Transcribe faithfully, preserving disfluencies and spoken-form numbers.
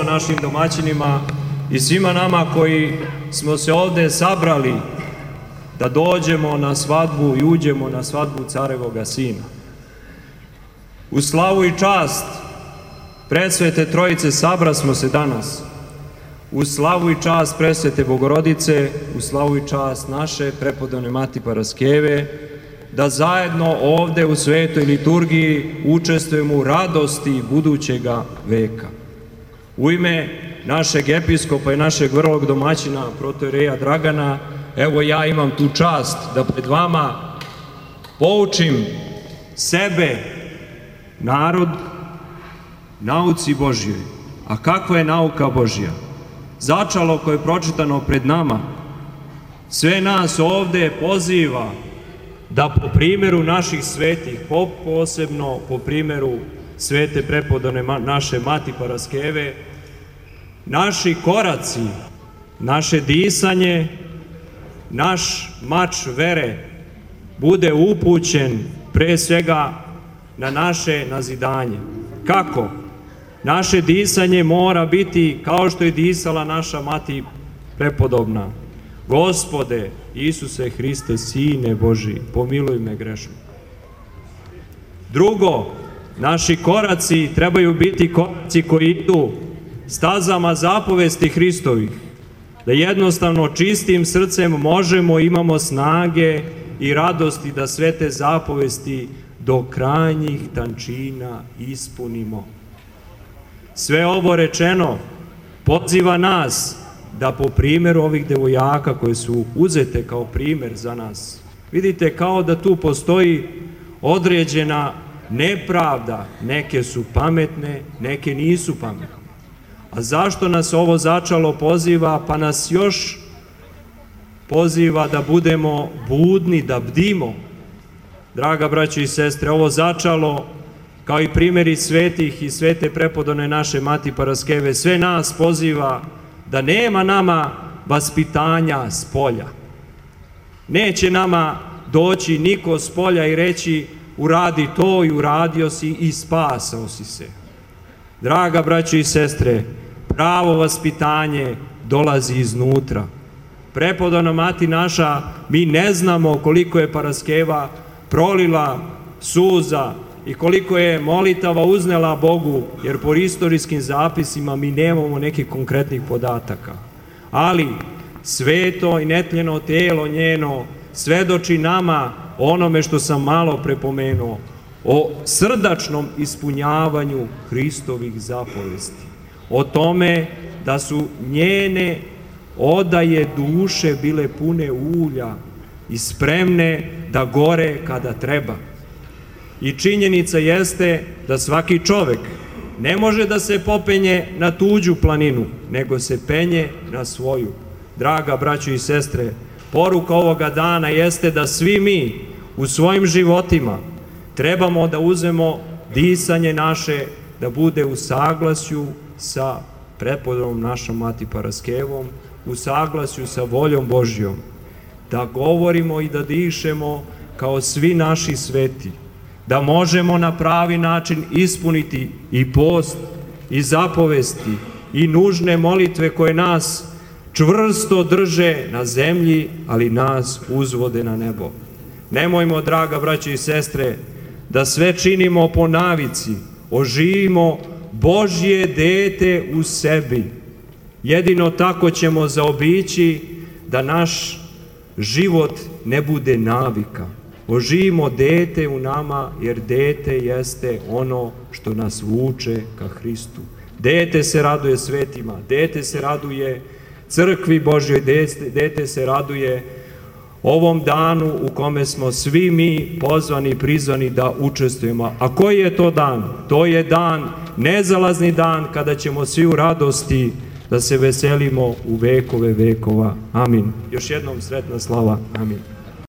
našim domaćinima i svima nama koji smo se ovde sabrali da dođemo na svadbu i uđemo na svadbu carevoga sina. U slavu i čast presvete Trojice sabra smo se danas. U slavu i čast presvete Bogorodice, u slavu i čast naše prepodobne Mati Paraskeve, da zajedno ovde u svetoj liturgiji učestvujemo u radosti budućega veka. U ime našeg episkopa i našeg vrlog domaćina, protoijereja Dragana, evo ja imam tu čast da pred vama poučim sebe, narod, nauci Božjoj. A kakva je nauka Božja? Začalo koje je pročitano pred nama sve nas ovde poziva da po primjeru naših svetih, posebno po primjeru svete prepodobne naše Mati Paraskeve, naši koraci, naše disanje, naš mač vere bude upućen pre svega na naše nazidanje. Kako? Naše disanje mora biti kao što je disala naša Mati prepodobna. Gospode Isuse Hriste, Sine Božji, pomiluj me grešno. Drugo, naši koraci trebaju biti koraci koji idu stazama zapovesti Hristovih, da jednostavno čistim srcem možemo, imamo snage i radosti da sve te zapovesti do krajnjih tančina ispunimo. Sve ovo rečeno poziva nas da po primjeru ovih devojaka koje su uzete kao primjer za nas, vidite kao da tu postoji određena nepravda, neke su pametne, neke nisu pametne. A zašto nas ovo začalo poziva? Pa nas još poziva da budemo budni, da bdimo. Draga braćo i sestre, ovo začalo, kao i primjeri svetih i svete prepodobne naše Mati Paraskeve, sve nas poziva da nema nama vaspitanja s polja. Neće nama doći niko s polja i reći uradi to i uradio si i spasao si se. Draga braćo i sestre, pravo vaspitanje dolazi iznutra. Prepodobna Mati naša, mi ne znamo koliko je Paraskeva prolila suza i koliko je molitava uznela Bogu, jer po istorijskim zapisima mi nemamo nekih konkretnih podataka. Ali sveto i netljeno telo njeno svedoči nama onome što sam malo prepomenuo, o srdačnom ispunjavanju Hristovih zapovesti. O tome da su njene odaje duše bile pune ulja i spremne da gore kada treba. I činjenica jeste da svaki čovek ne može da se popenje na tuđu planinu, nego se penje na svoju. Draga braćo i sestre, poruka ovoga dana jeste da svi mi u svojim životima trebamo da uzmemo disanje naše, da bude u saglasju sa prepodobnom našom Mati Paraskevom, u saglasju sa voljom Božjom, da govorimo i da dišemo kao svi naši sveti, da možemo na pravi način ispuniti i post, i zapovesti, i nužne molitve koje nas čvrsto drže na zemlji, ali nas uzvode na nebo. Nemojmo, draga braćo i sestre, da sve činimo po navici, oživimo Božje dete u sebi. Jedino tako ćemo zaobići da naš život ne bude navika. Oživimo dete u nama, jer dete jeste ono što nas vuče ka Hristu. Dete se raduje svetima, dete se raduje crkvi Božjoj, dete se raduje ovom danu u kome smo svi mi pozvani i prizvani da učestvujemo. A koji je to dan? To je dan, nezalazni dan, kada ćemo svi u radosti da se veselimo u vekove vekova. Amin. Još jednom sretna slava. Amin.